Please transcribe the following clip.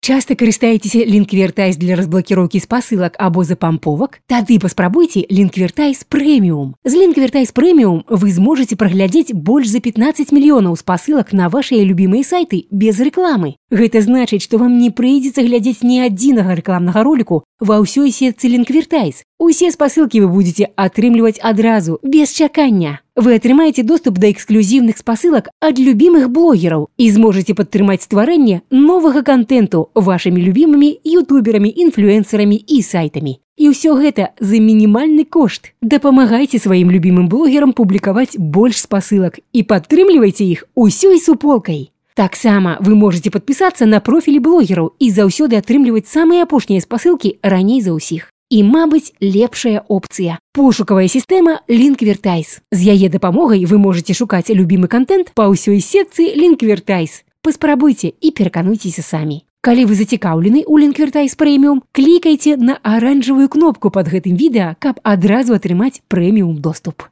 Часто карыстаецеся Linkvertise для разблокіроўкі спасылак або запамповак? Тады паспрабуйце Linkvertise Premium. З Linkvertise Premium вы зможаце праглядзець больш за 15 мільёнаў спасылак на вашыя любімыя сайты без рэкламы. Гэта значыць, што вам не прыйдзецца глядзець ні адзінага рэкламнага роліку ва ўсёй сетцы Linkvertise. Усе спасылкі вы будзеце атрымліваць адразу, без чакання. Вы атрымаеце доступ да эксклюзівных спасылак ад любімых блогераў і зможаце падтрымаць стварэнне новага кантэнту вашымі любімымі ютуберамі, інфлюэнсарамі і сайтамі. І ўсё гэта за мінімальны кошт. Дапамагайце сваім любімым блогерам публікаваць больш спасылак і падтрымлівайце іх усёй суполкай. Таксама вы можете падпісацца на профілі блогераў і заўсёды атрымліваць самыя апошнія спасылкі раней за ўсіх. І, мабыць, лепшая опцыя – пошукавая сістэма Linkvertise. З яе дапамогай вы можете шукаць любімы кантэнт па ўсёй сетцы Linkvertise. Паспрабуйце і перакануйцеся самі. Калі вы зацікаўлены ў Linkvertise Premium, клікайце на аранжавую кнопку пад гэтым відэа, каб адразу атрымаць прэміум доступ.